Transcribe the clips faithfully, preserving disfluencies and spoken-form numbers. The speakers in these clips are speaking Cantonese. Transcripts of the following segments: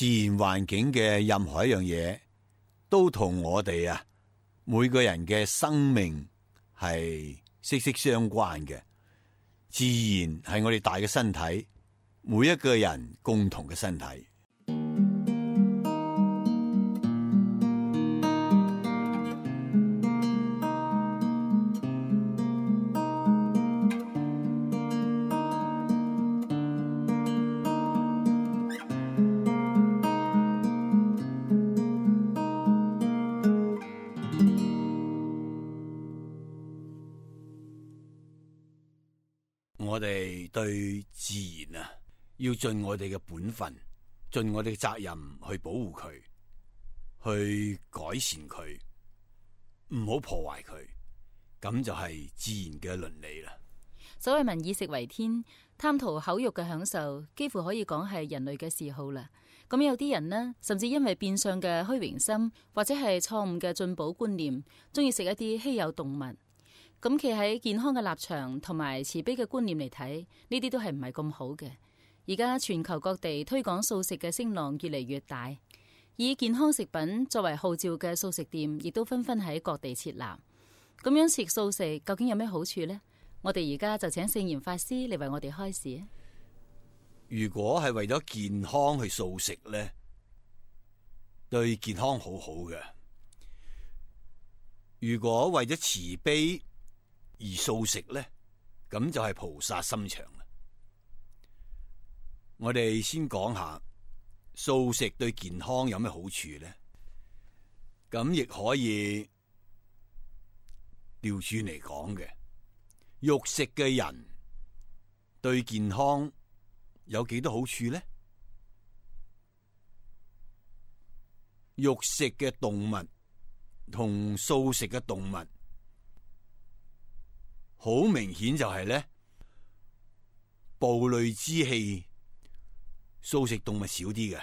自然環境嘅任何一樣嘢，都同我哋啊每個人嘅生命係息息相關嘅。自然係我哋大嘅身體，每一個人共同嘅身體。我哋對自然啊，要盡我哋嘅本分，盡我哋嘅責任去保護佢，去改善佢，唔好破壞佢，咁就係自然嘅倫理啦。所謂民以食為天，貪圖口欲嘅享受，幾乎可以講係人類嘅嗜好啦。咁有啲人呢，甚至因為變相嘅虛榮心，或者係錯誤嘅進補觀念，中意食一啲稀有動物。咁企喺健康嘅立場同埋慈悲嘅觀念嚟睇，呢啲都係唔係咁好嘅。而家全球各地推廣素食嘅聲浪越嚟越大，以健康食品作為號召嘅素食店，亦都紛紛喺各地設立。咁樣食素食究竟有咩好處呢？我哋而家就請聖嚴法師嚟為我哋開示。如果係為咗健康去素食呢，對健康好好嘅。如果為咗慈悲而素食呢，咁就係菩薩心腸啦。我哋先講下素食對健康有咩好處呢？咁亦可以調轉嚟講嘅，肉食嘅人對健康有幾多好處呢？肉食嘅動物同素食嘅動物，好明顯就係咧，暴戾之氣，素食動物少啲嘅。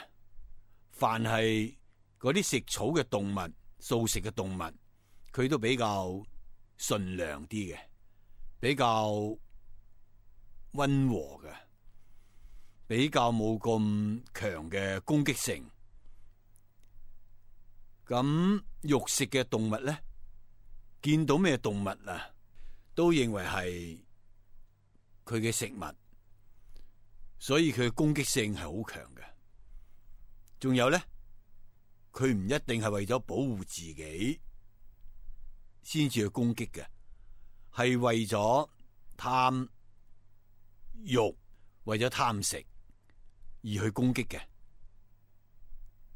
凡係嗰啲食草嘅動物，素食嘅動物，佢都比較順良啲嘅，比較溫和嘅，比較冇咁強嘅攻擊性。咁肉食嘅動物咧，見到咩動物啊，都認為係佢嘅食物，所以佢嘅攻擊性係好強嘅。仲有咧，佢唔一定係為咗保護自己先至去攻擊嘅，係為咗貪欲，為咗貪食而去攻擊嘅。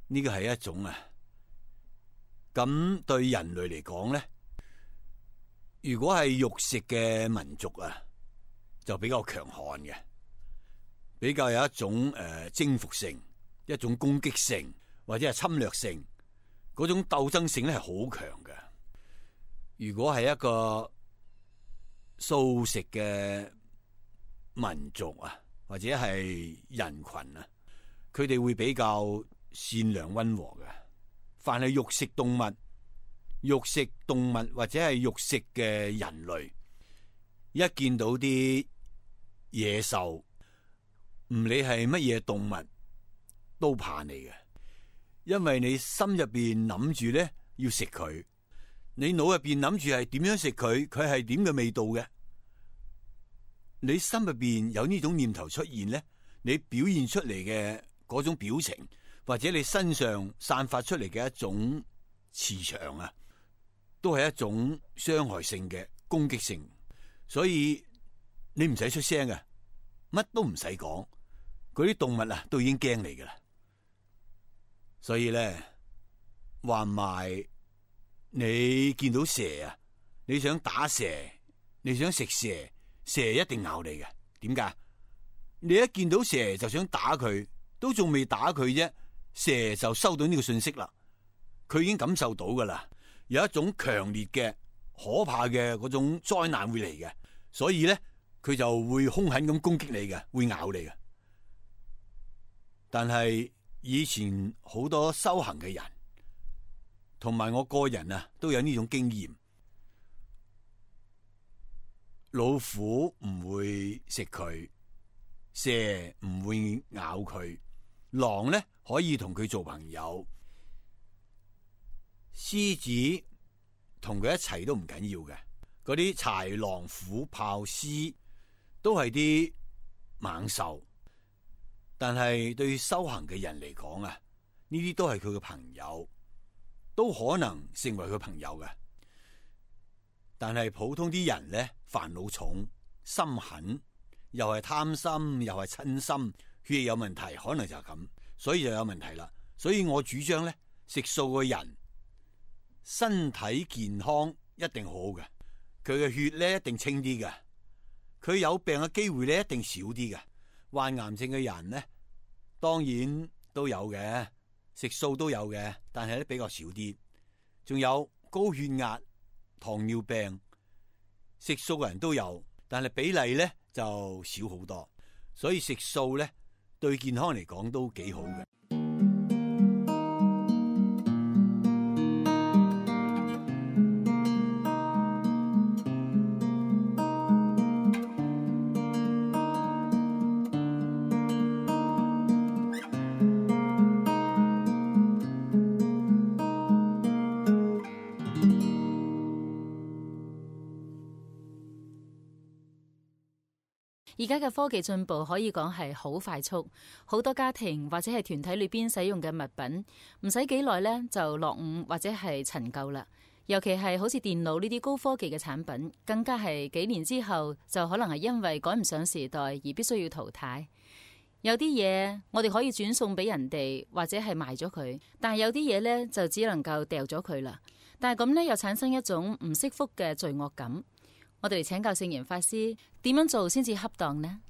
呢個係一種啊。咁對人類嚟講咧，如果係肉食嘅民族啊，就比較強悍嘅，比較有一種誒、呃、征服性，一種攻擊性或者係侵略性，嗰種鬥爭性咧係好強嘅。如果係一個素食嘅民族啊，或者係人群啊，佢哋會比較善良溫和嘅。凡係肉食動物、肉食動物或者係肉食嘅人類，一見到啲野獸，唔理係乜嘢動物，都怕你嘅，因為你心入邊諗住咧要食佢，你腦入邊諗住係點樣食佢，佢係點嘅味道嘅，你心入邊有呢種念頭出現咧，你表現出嚟嘅嗰種表情，或者你身上散發出嚟嘅一種磁場啊，都係一種傷害性嘅攻擊性，所以你唔使出聲嘅，乜都唔使講，嗰啲動物啊都已經驚你噶啦。所以咧，話唔埋你見到蛇啊，你想打蛇，你想食蛇，蛇一定咬你嘅。點解？你一見到蛇就想打佢，都仲未打佢啫。蛇就收到呢個信息啦，佢已經感受到噶啦，有一種強烈嘅可怕嘅嗰種災難會嚟嘅，所以咧佢就會兇狠咁攻擊你嘅，會咬你嘅。但係以前好多修行嘅人，同埋我個人啊，都有呢種經驗，老虎唔會食佢，蛇唔會咬佢。狼呢可以同佢做朋友，獅子同佢一齊都唔緊要嘅。嗰啲豺狼虎豹獅都係啲猛獸，但係對修行嘅人嚟講啊，呢啲都係佢嘅朋友，都可能成為佢朋友嘅。但係普通啲人呢，煩惱重，心狠，又係貪心，又係嗔心，血液有問題，可能就係咁，所以就有問題啦。所以我主張呢，食素嘅人身體健康一定好嘅，佢嘅血咧一定清啲嘅，佢有病嘅機會咧一定少啲嘅。患癌症嘅人呢，當然都有嘅，食素都有嘅，但係咧比較少啲。仲有高血壓、糖尿病，食素嘅人都有，但係比例咧就少好多。所以食素咧對健康嚟講都幾好嘅。而家嘅科技進步可以講係好快速，好多家庭或者係團體裏邊使用嘅物品，唔使幾耐呢就落伍或者係陳舊啦。尤其係好似電腦呢啲高科技嘅產品，更加係幾年之後就可能係因為趕唔上時代而必須要淘汰。有啲嘢我哋可以轉送俾人哋，或者係賣咗佢，但係有啲嘢呢就只能夠掉咗佢啦。但係咁呢又產生一種唔惜福嘅罪惡感。我哋嚟請教聖嚴法師，點樣做先至恰當呢？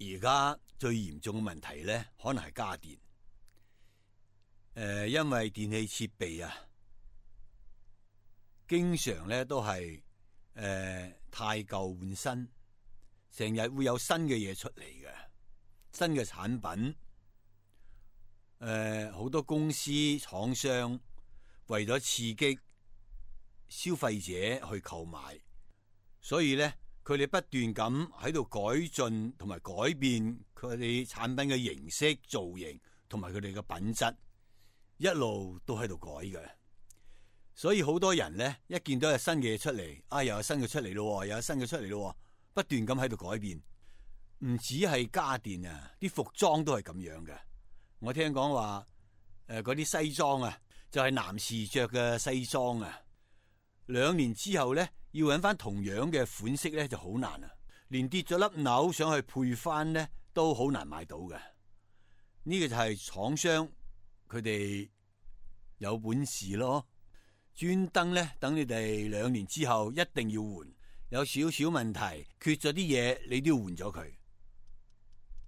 而家最嚴重嘅問題咧，可能係家電。誒、呃，因為電器設備啊，經常咧都係誒、呃、太舊換新，成日會有新嘅嘢出嚟嘅，新嘅產品。誒、呃，好多公司廠商為咗刺激消費者去購買，所以咧佢哋不斷咁喺度改進同埋改變佢哋產品嘅形式、造型同埋佢哋嘅品質，一路都喺度改嘅。所以好多人咧一見到有新嘅嘢出嚟，啊又有新嘅出嚟咯，又有新嘅出嚟咯，不斷咁喺度改變。唔止係家電啊，啲服裝都係咁樣嘅。我聽講話誒嗰啲西裝啊，就係男士着嘅西裝啊。兩年之後咧，要揾翻同樣嘅款式咧就好難啊！連跌咗粒紐想去配翻咧，都好難買到嘅。呢個就係廠商佢哋有本事咯，專登咧等你哋兩年之後一定要換，有少少問題缺咗啲嘢，你都要換咗佢。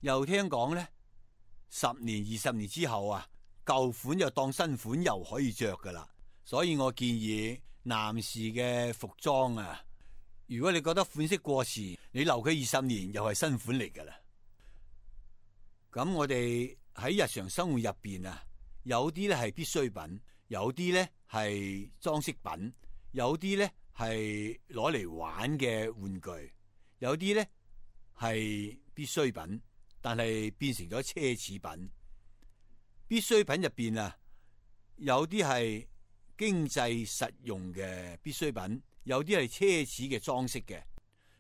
又聽講咧，十年二十年之後啊，舊款又當新款又可以着噶啦。所以我建議男士嘅服裝啊，如果你覺得款式過時，你留佢二十年又係新款嚟噶啦。咁我哋喺日常生活入邊啊，有啲咧係必需品，有啲咧係裝飾品，有啲咧係攞嚟玩嘅玩具，有啲咧係必需品，但係變成咗奢侈品。必需品入邊啊，有啲係經濟實用嘅必需品，有啲係奢侈嘅裝飾嘅，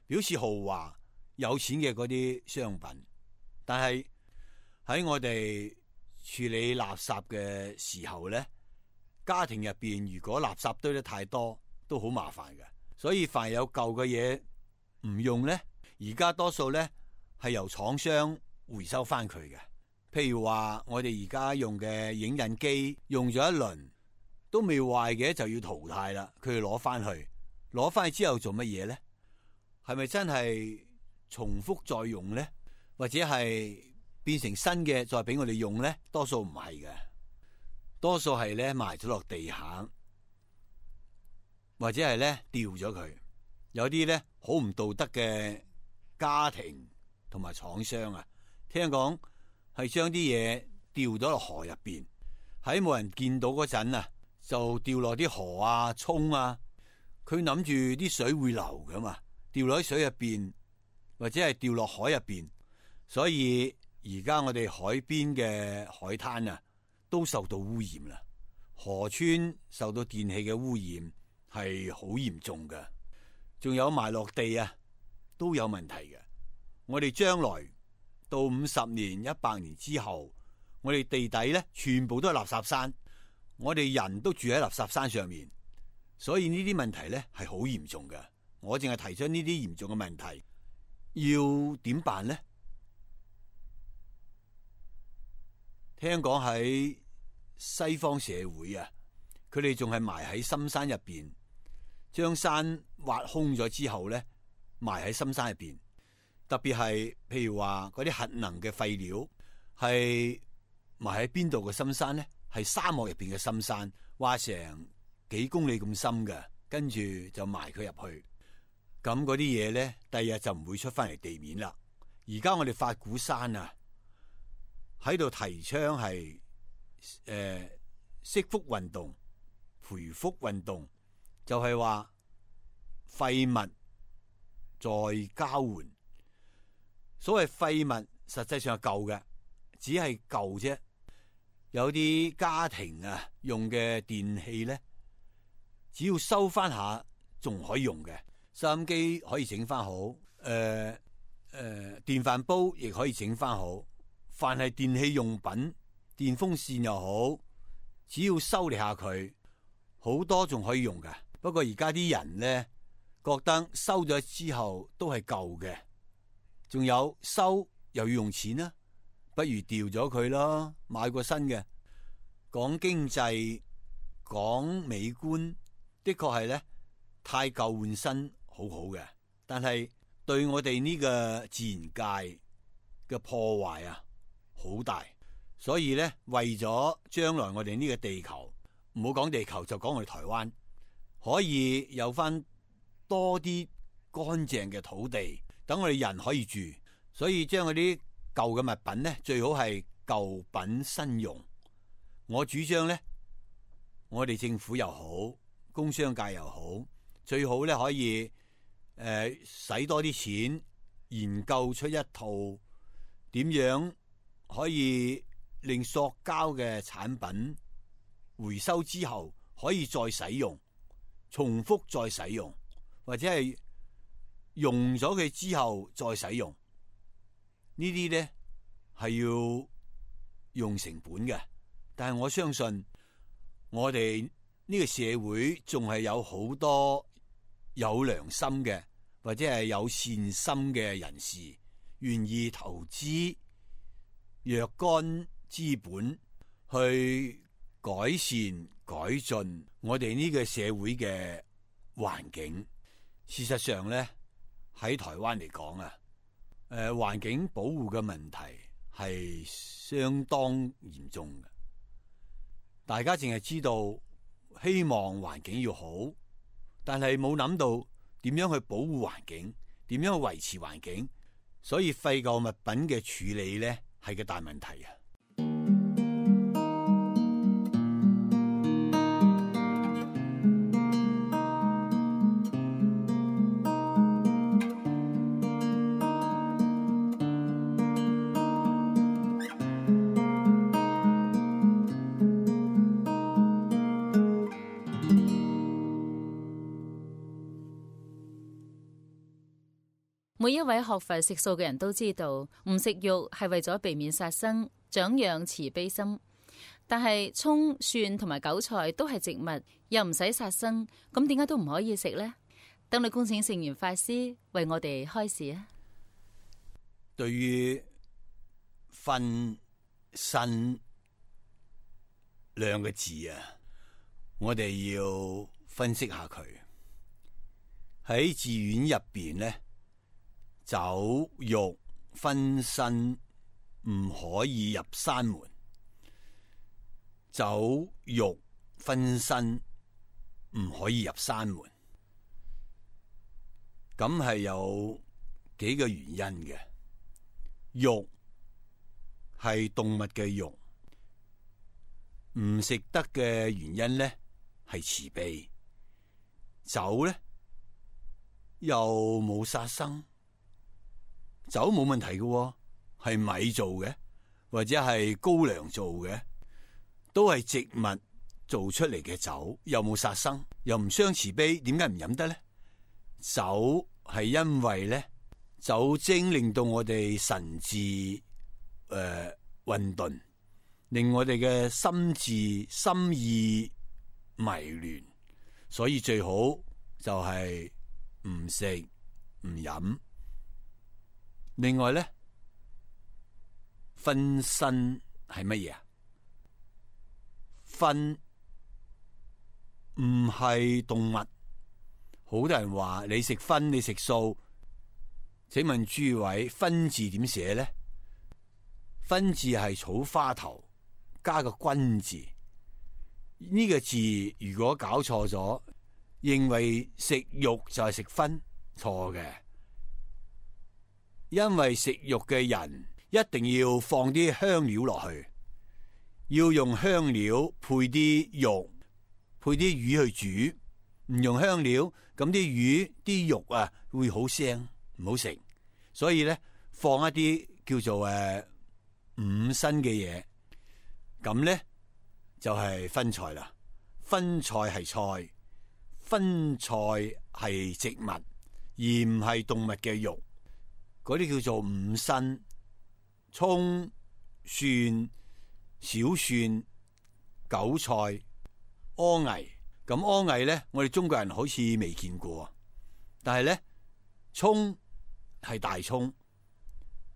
表示豪華有錢嘅嗰啲商品。但係喺我哋處理垃圾嘅時候咧，家庭入邊如果垃圾堆得太多，都好麻煩嘅。所以凡有舊嘅嘢唔用咧，而家多數咧係由廠商回收翻佢嘅。譬如話我哋而家用嘅影印機用咗一輪都未壞嘅，就要淘汰啦。佢要攞翻去，攞翻去之後做乜嘢咧？係咪真係重複再用咧？或者係變成新嘅再俾我哋用咧？多數唔係嘅，多數係咧埋咗落地下，或者係咧掉咗佢。有啲咧好唔道德嘅家庭同埋廠商啊，聽講係將啲嘢掉咗落河入邊，喺冇人見到嗰陣啊，就掉落啲河啊、涌啊。佢諗住啲水會流噶嘛，掉落喺水入邊或者係掉落海入邊，所以而家我哋海邊嘅海灘啊，都受到污染啦。河川受到電氣嘅污染係好嚴重嘅，仲有埋落地啊，都有問題嘅。我哋將來到五十年、一百年之後，我哋地底咧全部都係垃圾山，我哋人都住喺垃圾山上面，所以呢啲問題咧係好嚴重嘅。我淨係提出呢啲嚴重嘅問題，要點辦呢？聽講喺西方社會啊，佢哋仲係埋喺深山入邊，將山挖空咗之後咧，埋喺深山入邊。特別係譬如話嗰啲核能嘅廢料，係埋喺邊度嘅深山咧？係沙漠入邊嘅深山，挖成幾公里咁深嘅，跟住就埋佢入去。咁嗰啲嘢咧，第二日就唔會出翻嚟地面啦。而家我哋法鼓山啊，喺度提倡係誒惜福運動、培福運動，就係話廢物再交換。所謂廢物實際上係舊嘅，只係舊啫。有啲家庭啊用嘅電器咧，只要收翻下仲可以用嘅。收音機可以整翻好，誒、呃、誒、呃，電飯煲亦可以整翻好。凡係電器用品，電風扇又好，只要修理下佢，好多仲可以用㗎。不過而家啲人咧，覺得收咗之後都係舊嘅，仲有收又要用錢啦，不如掉咗佢咯，買個新嘅。講經濟，講美觀，的確係咧，太舊換新好好嘅，但係對我哋呢個自然界嘅破壞啊好大。所以咧，為咗將來我哋呢個地球，唔好講地球就講我哋台灣，可以有翻多啲乾淨嘅土地，等我哋人可以住。所以將嗰啲舊嘅物品咧，最好係舊品新用。我主張咧，我哋政府又好，工商界又好，最好咧可以誒使、呃、多啲錢，研究出一套點樣可以令塑膠嘅產品回收之後可以再使用，重複再使用，或者係用咗佢之後再使用。呢啲咧係要用成本嘅，但係我相信我哋呢個社會仲係有好多有良心嘅或者係有善心嘅人士，願意投資若干資本去改善改進我哋呢個社會嘅環境。事實上咧，喺台灣嚟講啊，誒、呃，環境保護嘅問題係相當嚴重嘅。大家淨係知道希望環境要好，但係冇諗到點樣去保護環境，點樣去維持環境。所以廢舊物品嘅處理咧係個大問題啊！每一位學佛食素嘅人都知道，唔食肉係為咗避免殺生，長養慈悲心。但係蔥、蒜同埋韭菜都係植物，又唔使殺生，咁點解都唔可以食呢？等你恭請聖嚴法師為我哋開示啊！對於分身兩個字啊，我哋要分析下佢。喺寺院入邊呢，酒肉分身唔可以入山門，酒肉分身唔可以入山門，咁係有幾個原因嘅。肉係動物嘅肉，唔食得嘅原因咧係慈悲。酒咧又冇殺生。酒冇問題嘅，係米做嘅，或者係高粱做嘅，都係植物做出嚟嘅酒，又冇殺生，又唔傷慈悲，點解唔飲得呢？酒係因為咧酒精令到我哋神志誒混沌，令我哋嘅心智心意迷亂，所以最好就係唔食唔飲。另外咧，分身係乜嘢啊？分唔係動物，好多人話你食葷，你食素，請問諸位，分字點寫咧？分字係草花頭加個君字，呢、這個字如果搞錯咗，認為食肉就係食葷，錯嘅。因為食肉嘅人一定要放啲香料落去，要用香料配啲肉，配啲魚去煮。唔用香料，咁啲魚啲肉啊會好腥，唔好食。所以咧，放一啲叫做誒、呃、五辛嘅嘢，咁咧就係、是、分菜啦。分菜係菜，分菜係植物，而唔係動物嘅肉。嗰啲叫做五辛：蔥、蒜、小蒜、韭菜、柯魏。咁柯魏咧，我哋中國人好似未見過，但係咧，蔥係大蔥，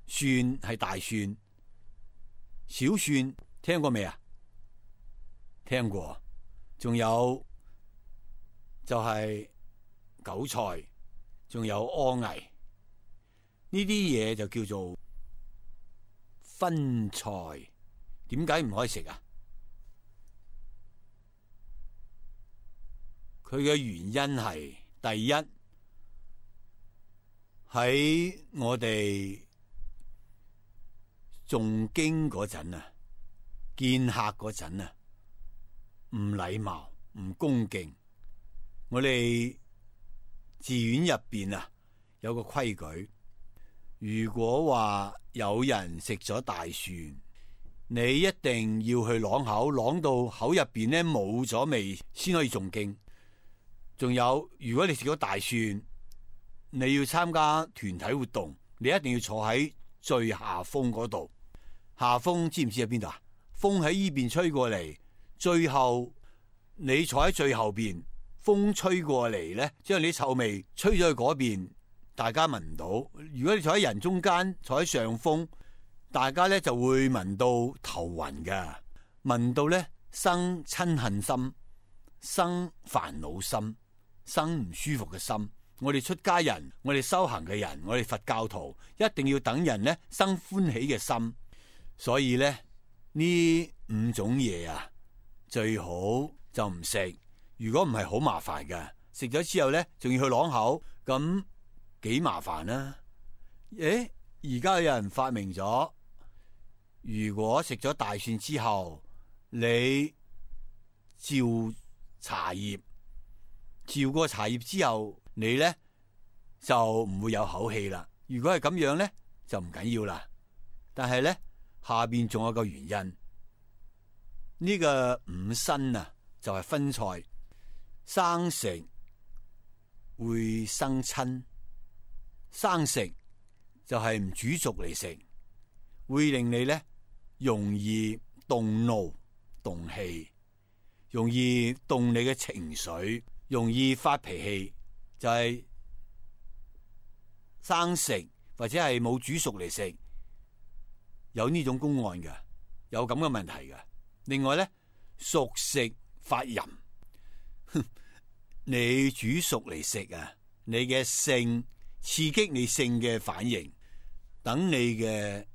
蒜係大蒜，小蒜聽過未啊？聽過，仲有就係韭菜，仲有柯魏，呢啲嘢就叫做分菜。點解唔可以食啊？佢嘅原因係第一，喺我哋誦經嗰陣啊，見客嗰陣啊，唔禮貌唔恭敬。我哋寺院入邊啊有個規矩，如果話有人食咗大蒜，你一定要去啷口，啷到口入邊咧冇咗味先可以誦經。仲有，如果你食咗大蒜，你要參加團體活動，你一定要坐喺最下風嗰度。下風知唔知喺邊度啊？風喺依邊吹過嚟，最後你坐喺最後邊，風吹過嚟咧，將你啲臭味吹咗去嗰邊，大家聞唔到。如果你坐喺人中間，坐喺上風，大家咧就會聞到頭暈㗎，聞到咧生親恨心，生煩惱心，生唔舒服嘅心。我哋出家人，我哋修行嘅人，我哋佛教徒一定要等人咧生歡喜嘅心。所以咧呢五種嘢啊，最好就唔食。如果唔係好麻煩嘅，食咗之後咧仲要去啷口，咁幾麻煩啦。誒，而家有人發明咗，如果食咗大蒜之後，你照茶葉。照過茶葉之後，你咧就唔會有口氣啦。如果係咁樣咧，就唔緊要啦。但係咧下邊仲有個原因，呢個五辛啊，就係分菜，生食會生親，生食就係唔煮熟嚟食，會令你咧容易動怒、動氣，容易動你嘅情緒。容易發脾氣，就係、是、生食或者係冇煮熟嚟食，有呢種公案嘅，有咁嘅問題嘅。另外咧，熟食發淫，你煮熟嚟食啊，你嘅性刺激你性嘅反應，等你嘅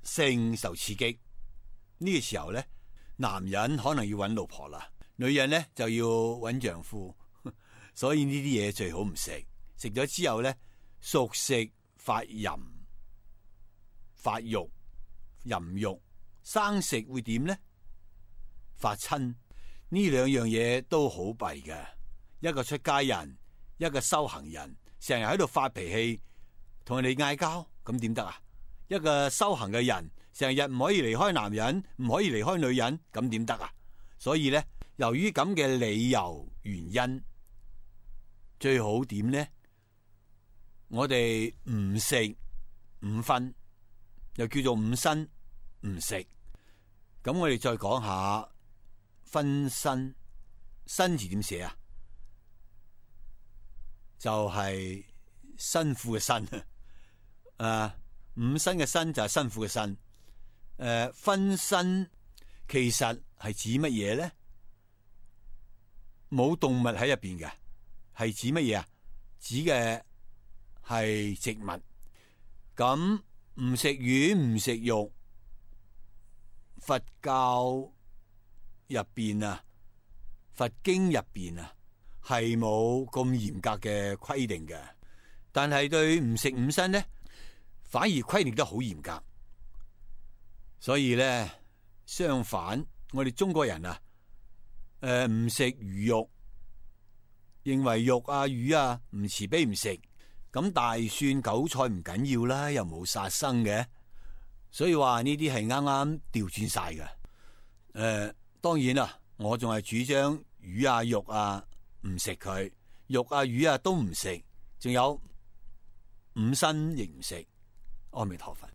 性受刺激，呢、這個時候咧，男人可能要揾老婆啦。女人咧就要揾丈夫，所以呢啲嘢最好唔食。食咗之後咧，熟食發淫、發欲、淫欲；生食會點咧？發親。呢兩樣嘢都好弊嘅。一個出家人，一個修行人，成日喺度發脾氣，同人哋嗌交，咁點得啊？一個修行嘅人，成日唔可以離開男人，唔可以離開女人，咁點得啊？所以咧，由於咁嘅理由原因，最好點呢？我哋唔食五葷，又叫做五辛唔食。咁我哋再講下葷辛，辛字點寫啊？就係、是、辛苦嘅辛啊！五辛嘅辛就係辛苦嘅辛。誒、呃，葷辛其實係指乜嘢咧？冇動物喺入邊嘅，係指乜嘢啊？指嘅係植物。咁唔食魚唔食肉，佛教入邊啊，佛經入邊啊，係冇咁嚴格嘅規定嘅。但係對唔食五辛咧，反而規定得好嚴格。所以咧，相反，我哋中國人啊，誒唔食魚肉，認為肉啊魚啊唔慈悲唔食。咁大蒜韭菜唔緊要啦，又冇殺生嘅，所以話呢啲係啱啱調轉晒嘅。誒、呃，當然啦，我仲係主張魚啊肉啊唔食佢，肉啊魚啊都唔食，仲有五辛亦唔食。阿彌陀佛。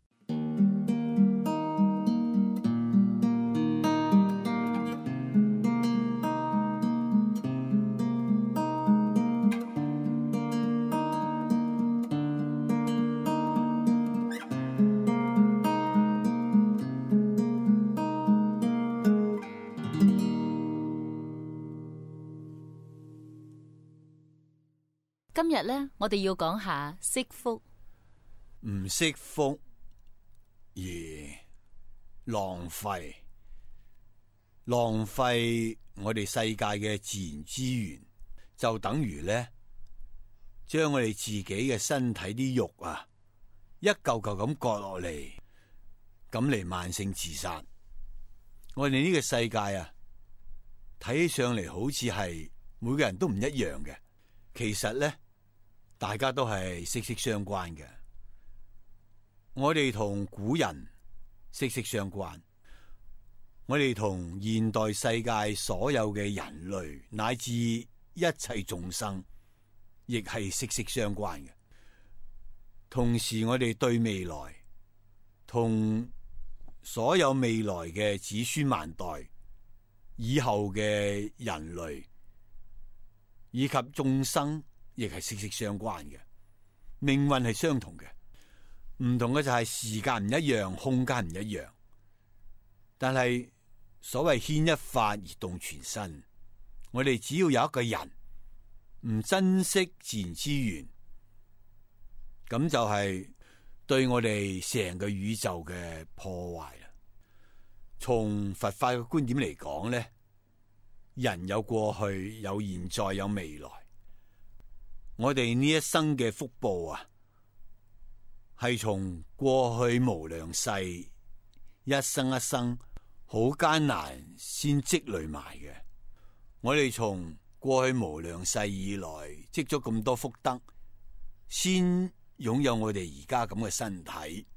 今日咧，我哋要講下惜福。唔惜福而浪費，浪費我哋世界嘅自然資源，就等於咧將我哋自己嘅身體啲肉啊，一嚿嚿咁割落嚟，咁嚟慢性自殺。我哋呢個世界啊，睇起上嚟好似係每個人都唔一樣嘅，其實咧大家都係息息相關嘅。我哋同古人息息相關，我哋同現代世界所有嘅人類乃至一切眾生，亦係息息相關嘅。同時，我哋對未來，同所有未來嘅子孫萬代以後嘅人類以及眾生，亦係息息相關嘅。命運係相同嘅。唔同嘅就係時間唔一樣，空間唔一樣，但係所謂牽一髮而動全身，我哋只要有一個人唔珍惜自然資源，咁就係對我哋成個宇宙嘅破壞啦。從佛法嘅觀點嚟講咧，人有過去，有現在，有未來。我哋呢一生嘅福報啊，係從過去無量世一生一生好艱難先積累埋嘅。我哋從過去無量世以來積咗咁多福德，先擁有我哋而家咁嘅身體，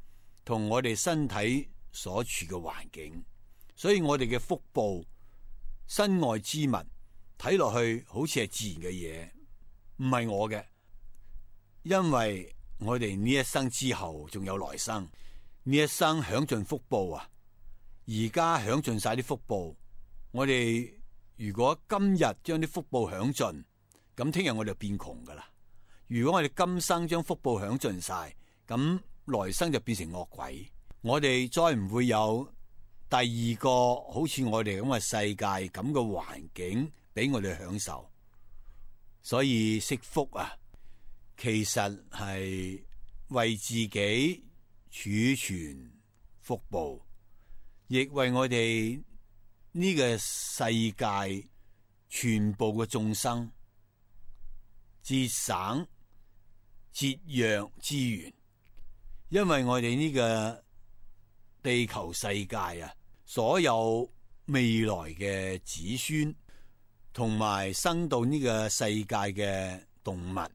同我哋身體所處嘅環境。所以我哋嘅福報、身外之物，睇落去好似係自然嘅嘢，唔係我嘅，因為我哋呢一生之後仲有來生，呢一生享盡福報啊！而家享盡晒啲福報，我哋如果今日將啲福報享盡，咁聽日我哋就變窮噶啦。如果我哋今生將福報享盡晒，咁來生就變成惡鬼，我哋再唔會有第二個好似我哋咁嘅世界咁嘅環境俾我哋享受。所以惜福啊，其實係為自己儲存福報，亦為我哋呢個世界全部嘅眾生節省節約資源。因為我哋呢個地球世界啊，所有未來嘅子孫同埋生到呢個世界嘅動物，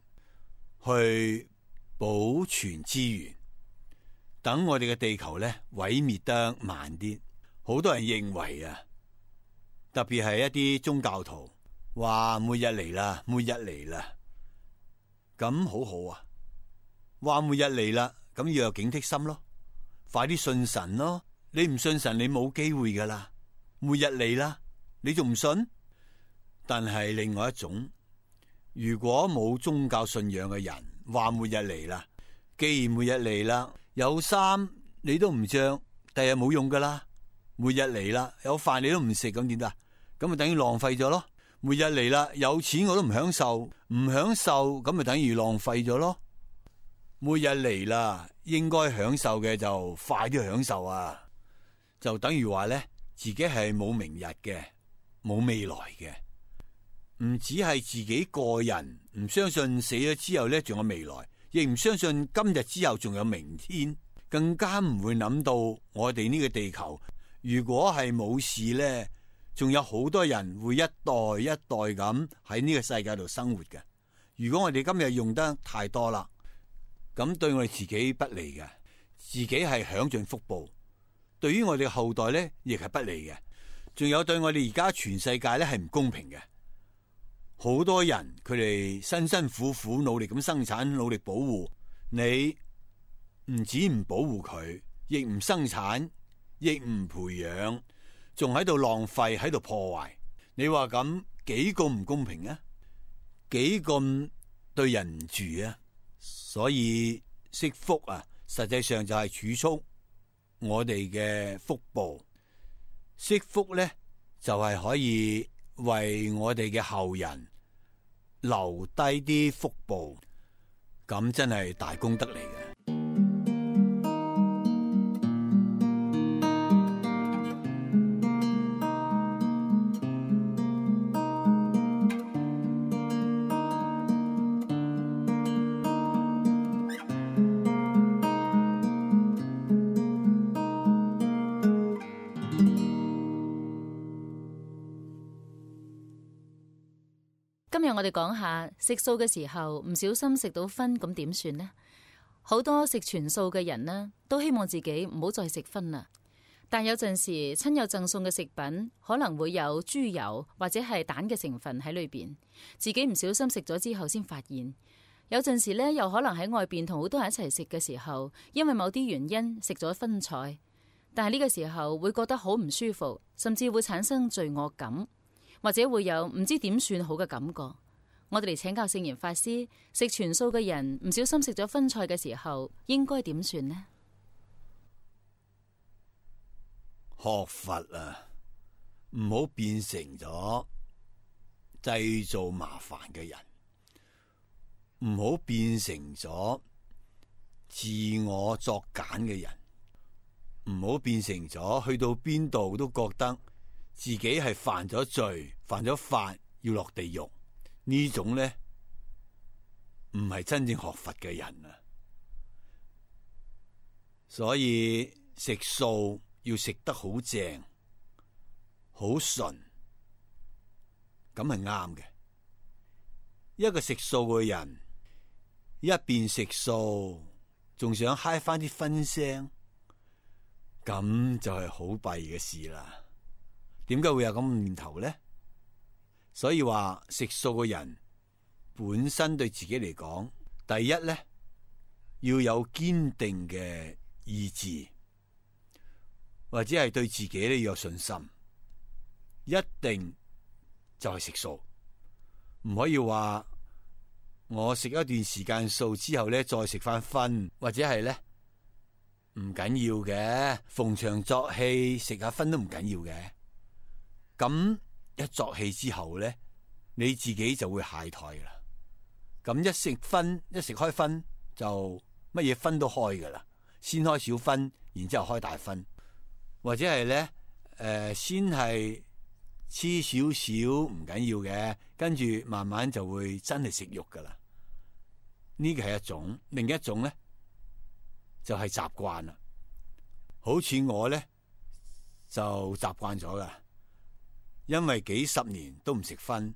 去保存資源，等我哋嘅地球咧毀滅得慢啲。好多人認為啊，特別係一啲宗教徒話末日嚟啦，末日嚟啦，咁好好啊。話末日嚟啦，咁要有警惕心咯，快啲信神咯。你唔信神，你冇機會噶啦。末日嚟啦，你仲唔信？但係另外一種，如果冇宗教信仰嘅人話末日嚟啦，既然末日嚟啦，有衫你都唔着，第日冇用噶啦。末日嚟啦，有飯你都唔食，咁點得？咁咪等於浪費咗咯。末日嚟啦，有錢我都唔享受，唔享受咁咪等於浪費咗咯。末日嚟啦，應該享受嘅就快啲享受啊！就等於話咧，自己係冇明日嘅，冇未來嘅，唔只係自己個人唔相信死咗之後咧仲有未來，亦唔相信今日之後仲有明天，更加唔會諗到我哋呢個地球如果係冇事咧，仲有好多人會一代一代咁喺呢個世界度生活嘅。如果我哋今日用得太多啦，咁對我哋自己不利嘅，自己係享盡福報，對於我哋後代咧亦係不利嘅。仲有對我哋而家全世界咧係唔公平嘅。好多人佢哋辛辛苦苦努力咁生產，努力保護你，唔止唔保護佢，亦唔生產，亦唔培養，仲喺度浪費，喺度破壞。你話咁幾咁唔公平啊？幾咁對人唔住啊？所以惜福啊，實際上就係儲蓄我哋嘅福報。惜福咧，就係、是、可以為我哋嘅後人留低啲福報，咁真係大功德嚟嘅。今日我哋講下食素嘅時候唔小心食到葷，咁點算呢？好多食全素嘅人呢，都希望自己唔好再食葷啦。但有陣時親友贈送嘅食品可能會有豬油或者係蛋嘅成分喺裏邊，自己唔小心食咗之後先發現。有陣時呢，又可能喺外邊同好多人一齊食嘅時候，因為某啲原因食咗葷菜，但係呢個時候會覺得好唔舒服，甚至會產生罪惡感，或者會有唔知點算好嘅感覺。我哋嚟請教聖嚴法師，食全素嘅人唔小心食咗葷菜嘅時候，應該點算呢？學佛啊，唔好變成咗製造麻煩嘅人，唔好變成咗自我作繭嘅人，唔好變成咗去到邊度都覺得自己係犯咗罪、犯咗法要落地獄。呢種咧唔係真正學佛嘅人啊。所以食素要食得好正、好純，咁係啱嘅。一個食素嘅人一邊食素，仲想嗨翻啲葷腥，咁就係好弊嘅事啦。點解會有咁嘅念頭咧？所以話食素嘅人本身對自己嚟講，第一咧要有堅定嘅意志，或者係對自己咧要有信心，一定就係食素，唔可以話我食一段時間素之後咧再食翻葷，或者係咧唔緊要嘅，逢場作戲食下葷都唔緊要嘅。咁一作氣之後咧，你自己就會懈怠啦。咁一食葷，一食開葷，就乜嘢葷都開噶啦。先開小葷，然之後開大葷，或者係咧，誒、呃，先係黐少少唔緊要嘅，跟住慢慢就會真係食肉噶啦。呢個係一種，另一種咧就係習慣啦。好似我咧就習慣咗噶。因為幾十年都唔食葷，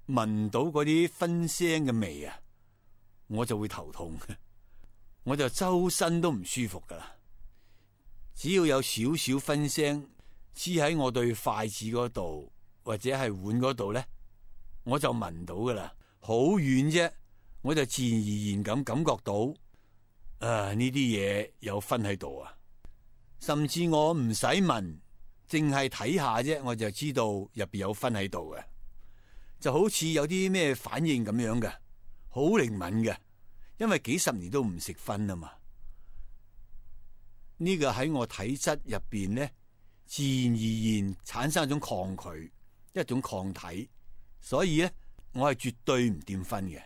聞到嗰啲葷腥嘅味啊，我就會頭痛。我就周身都唔舒服噶啦。只要有少少燻腥黐喺我對筷子嗰度或者係碗嗰度咧，我就聞到噶啦，好遠啫，我就自然而然咁感覺到，啊呢啲嘢有燻喺度啊！甚至我唔使聞，淨係睇下啫，我就知道入邊有燻喺度嘅，就好似有啲咩反應咁樣嘅，好靈敏嘅，因為幾十年都唔食燻啊嘛。呢個喺我體質入邊咧，自然而然產生一種抗拒，一種抗體，所以咧我係絕對唔掂燻嘅，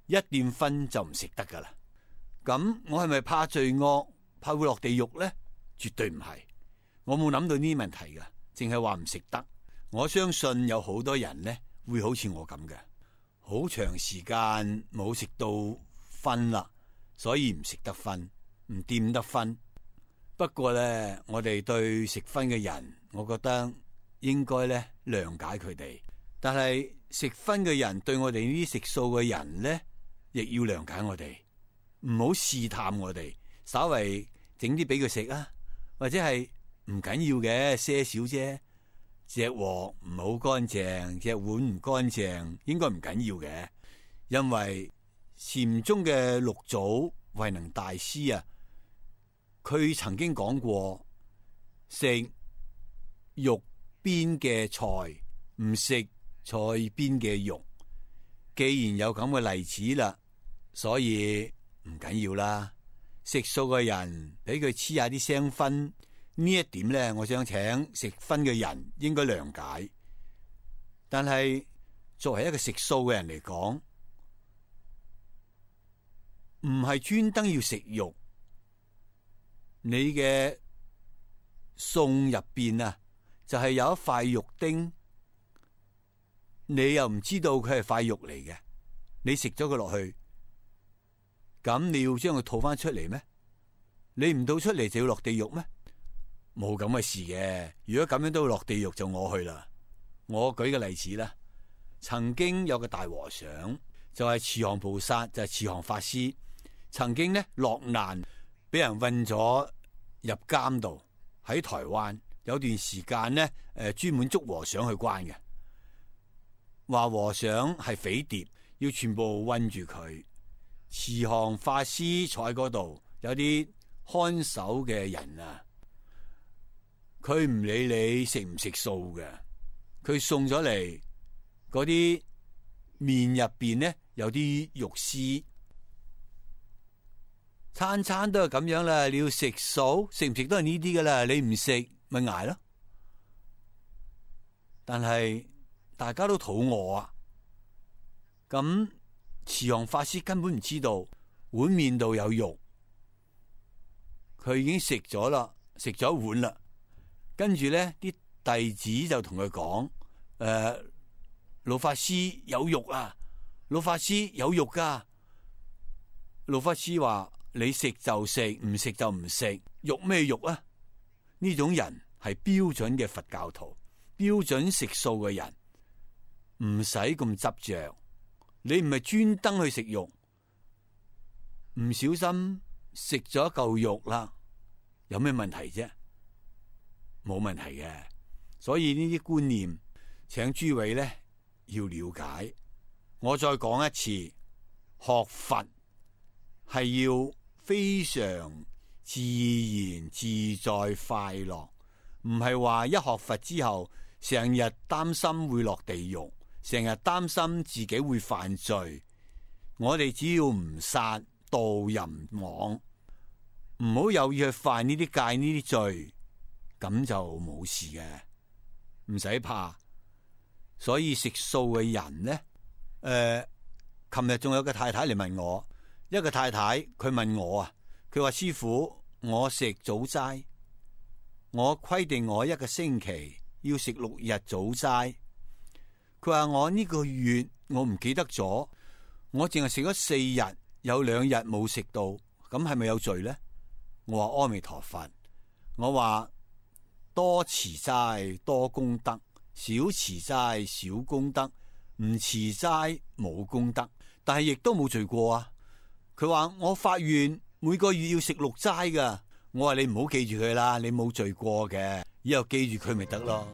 一掂燻就唔食得噶啦。咁我係咪怕罪惡，怕會落地獄咧？絕對唔係，我冇諗到呢啲問題噶，淨係話唔食得。我相信有好多人咧會好似我咁嘅，好長時間冇食到燻啦，所以唔食得燻，唔掂得燻。不過咧，我哋對食燻嘅人，我覺得應該咧諒解佢哋。但係食燻嘅人對我哋呢啲食素嘅人咧，亦要諒解我哋，唔好試探我哋，稍為整啲俾佢食啊。或者係唔緊要嘅，些少啫。隻鑊唔好乾淨，隻碗唔乾淨，應該唔緊要嘅。因為禪宗嘅六祖慧能大師啊，佢曾經講過，食肉邊嘅菜，唔食菜邊嘅肉。既然有咁嘅例子啦，所以唔緊要啦。食素嘅人俾佢黐下啲腥燻，呢一點咧，我想請食葷嘅人應該諒解。但係作為一個食素嘅人嚟講，唔係專登要食肉，你嘅餸入邊啊，就係有一塊肉丁，你又唔知道佢係塊肉嚟嘅，你食咗佢落去。咁你要將佢吐翻出嚟咩？你唔吐出嚟就要落地獄咩？冇咁嘅事嘅。如果咁樣都要落地獄，就我去啦。我舉個例子啦，曾經有個大和尚就係慈航菩薩，就係慈航法師，曾經咧落難，俾人運咗入監度，喺台灣有段時間咧，誒專門捉和尚去關嘅，話和尚係匪諜，要全部韞住佢。慈航法師坐喺嗰度，有啲看守嘅人啊，佢唔理你食唔食素嘅，佢送咗嚟嗰啲麵入邊咧有啲肉絲，餐餐都係咁樣啦。你要食素，食唔食都係呢啲噶啦，你唔食咪捱咯。但係大家都肚餓啊，咁。慈航法師根本唔知道碗麵度有肉，佢已經食咗啦，食咗一碗啦。跟住咧，啲弟子就同佢講：誒、呃，老法師有肉啊，老法師有肉噶。老法師話：你食就食，唔食就唔食。肉咩肉啊？呢種人係標準嘅佛教徒，標準食素嘅人，唔使咁執着。你唔係專登去食肉，唔小心食咗一嚿肉啦，有咩問題啫？冇問題嘅。所以呢啲觀念，請諸位咧要了解。我再講一次，學佛係要非常自然自在快樂，唔係話一學佛之後成日擔心會落地獄。成日擔心自己會犯罪，我哋只要唔殺盜淫妄，唔好有意去犯呢啲戒呢啲罪，咁就冇事嘅，唔使怕。所以食素嘅人呢，誒、呃，琴日仲有個太太嚟問我，一個太太佢問我啊，佢話師父，我食早齋，我規定我一個星期要食六日早齋。佢話我呢個月我唔記得咗，我淨係食咗四日，有兩日冇食到，咁係咪有罪呢？我話阿彌陀佛，我話多持齋多功德，少持齋少功德，唔持齋冇功德，但係亦都冇罪過啊。佢話我發願每個月要食六齋噶。我話你唔好記住佢啦，你冇罪過嘅，以後記住佢咪得咯。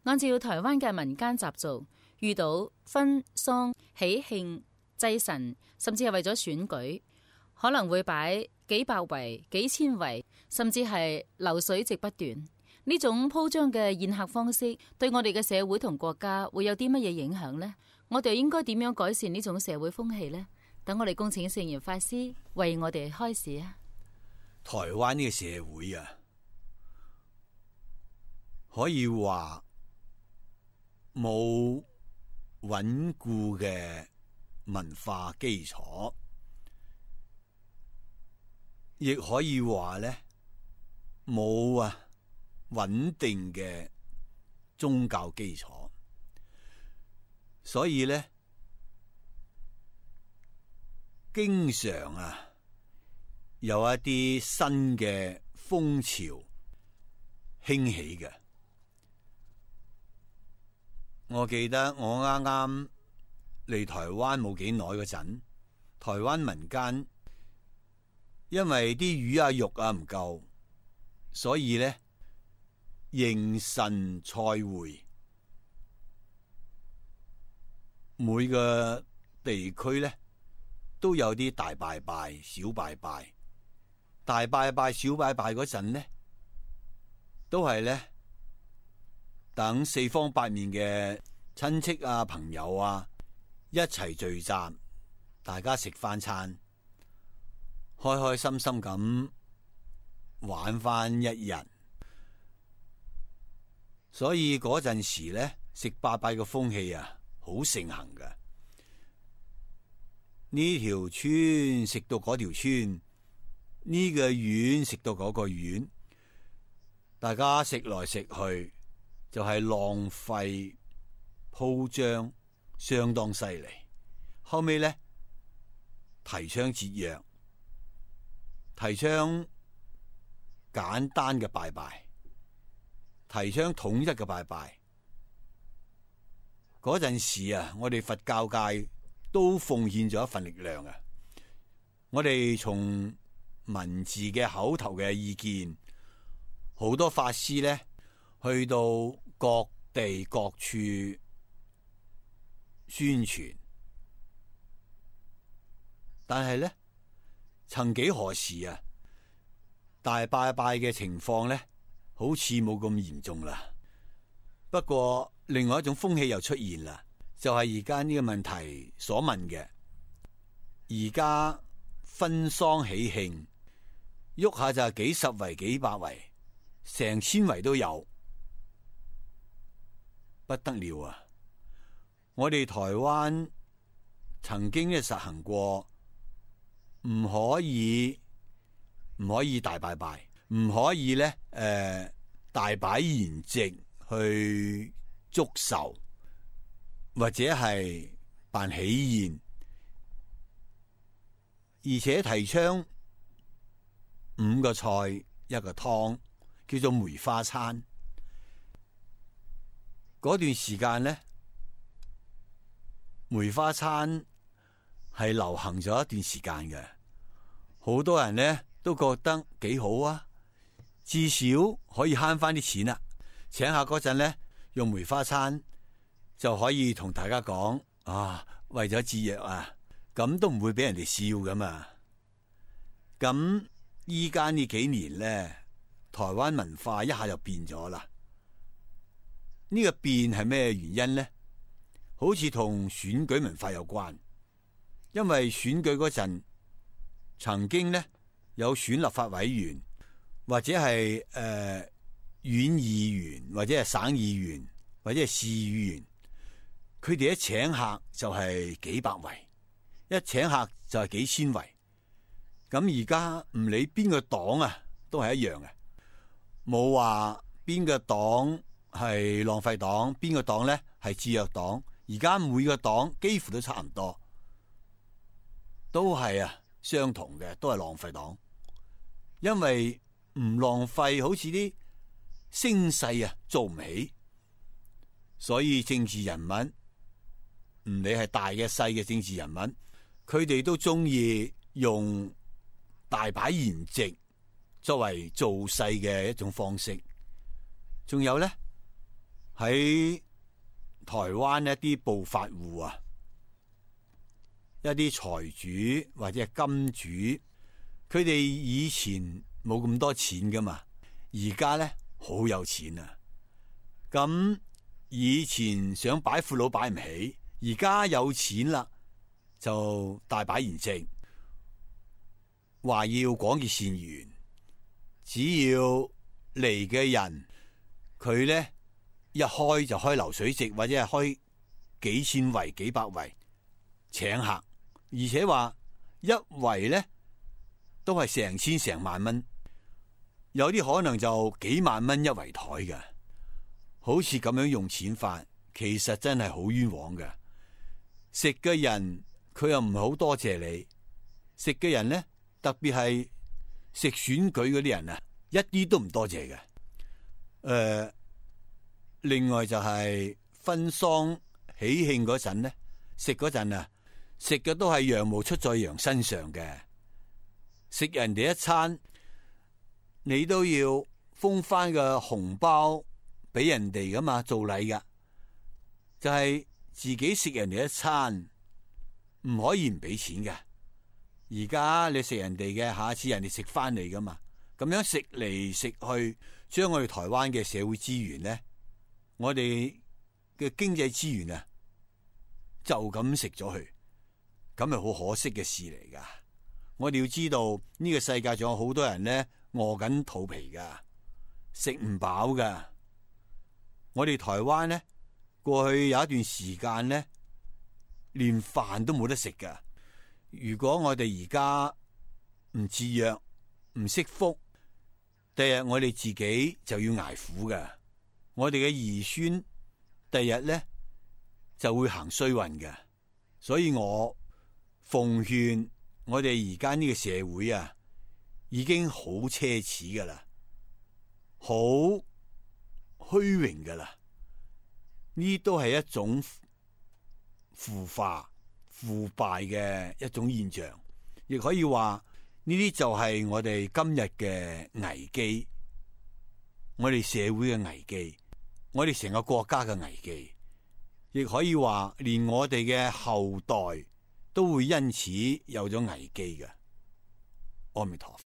按照台灣嘅民間習俗，遇到婚喪喜慶祭神，甚至係為咗選舉，可能會擺幾百圍、幾千圍，甚至係流水席不斷。呢種鋪張嘅宴客方式，對我哋嘅社會同國家會有啲乜嘢影響呢？我哋應該點樣改善呢種社會風氣呢？等我哋恭請聖嚴法師為我哋開示啊！台灣呢個社會啊，可以話冇穩固嘅文化基礎，亦可以話咧冇啊穩定嘅宗教基礎，所以咧經常啊有一啲新嘅風潮興起嘅。我記得我啱啱嚟台灣冇幾耐嗰陣，台灣民間因為啲魚啊肉啊唔夠，所以咧迎神賽會，每個地區咧都有啲大拜拜、小拜拜。大拜拜、小拜拜嗰陣咧，都係咧。等四方八面嘅親戚啊、朋友啊一齊聚集，大家食翻餐，開開心心咁玩翻一日。所以嗰陣時咧，食拜拜嘅風氣啊，好盛行㗎。呢條村食到嗰條村，呢個縣食到嗰個縣，大家食來食去。就係浪費鋪張相當犀利，後尾咧提倡節約，提倡簡單嘅拜拜，提倡統一嘅拜拜。嗰陣時啊，我哋佛教界都奉獻咗一份力量啊！我哋從文字嘅口頭嘅意見，好多法師咧去到各地各處宣傳，但係咧，曾幾何時啊，大拜拜嘅情況咧，好似冇咁嚴重啦。不過另外一種風氣又出現啦，就係而家呢個問題所問嘅，而家婚喪喜慶，喐下就係幾十圍、幾百圍、成千圍都有。不得了啊！我哋台灣曾經咧實行過，唔可以唔可以大拜拜，唔可以咧誒、呃、大擺筵席去祝壽，或者係辦喜宴，而且提倡五個菜一個湯，叫做梅花餐。嗰段時間咧，梅花餐係流行咗一段時間嘅，好多人咧都覺得幾好啊，至少可以慳翻啲錢啦。請客嗰陣咧，用梅花餐就可以同大家講啊，為咗節約啊，咁都唔會俾人哋笑噶嘛。咁依家呢幾年咧，台灣文化一下就變咗啦。呢個變係咩原因呢？好似同選舉文化有關，因為選舉嗰陣曾經呢有選立法委員，或者係誒縣議員，或者係省議員，或者係市議員，佢哋一請客就係幾百圍，一請客就係幾千圍。咁而家唔理邊個黨啊，都係一樣嘅，冇話邊個黨係浪費黨，邊個黨咧係節約黨。而家每個黨幾乎都差唔多，都係啊相同嘅，都係浪費黨。因為唔浪費，好似啲聲勢啊做唔起，所以政治人物唔理係大嘅細嘅政治人物，佢哋都中意用大擺筵席作為造勢嘅一種方式。仲有咧喺台灣一啲暴發戶啊，一啲財主或者係金主，佢哋以前冇咁多錢噶嘛，而家咧好有錢啊。咁以前想擺闊佬擺唔起，而家有錢啦，就大擺筵席，話要廣結善緣，只要嚟嘅人，佢咧一開就開流水席，或者係開幾千圍、幾百圍請客，而且話一圍咧都係成千成萬蚊，有啲可能就幾萬蚊一圍台嘅。好似咁樣用錢法，其實真係好冤枉嘅。食嘅人佢又唔係好多謝你，食嘅人咧特別係食選舉嗰啲人啊，一啲都唔多謝嘅。誒、呃，另外就係婚喪喜慶嗰陣咧，食嗰陣啊，食嘅都係羊毛出在羊身上嘅。食人哋一餐，你都要封翻個紅包俾人哋噶嘛，做禮噶。就係、是、自己食人哋一餐，唔可以唔俾錢嘅。而家你食人哋嘅，下次人哋食翻嚟噶嘛。咁樣食嚟食去，將我哋台灣嘅社會資源咧，我哋嘅經濟資源啊，就咁食咗去，咁係好可惜嘅事嚟噶。我哋要知道呢個世界仲有好多人咧餓緊肚皮噶，食唔飽噶。我哋台灣咧過去有一段時間咧，連飯都冇得食噶。如果我哋而家唔節約、唔惜福，第日我哋自己就要捱苦噶。我哋嘅兒孫第日咧就會行衰運嘅。所以我奉勸我哋而家呢個社會啊，已經好奢侈噶啦，好虛榮噶啦。呢都係一種腐化、腐敗嘅一種現象，亦可以話呢啲就係我哋今日嘅危機，我哋社會嘅危機，我哋成個國家嘅危機，亦可以話連我哋嘅後代都會因此有咗危機嘅。阿彌陀佛。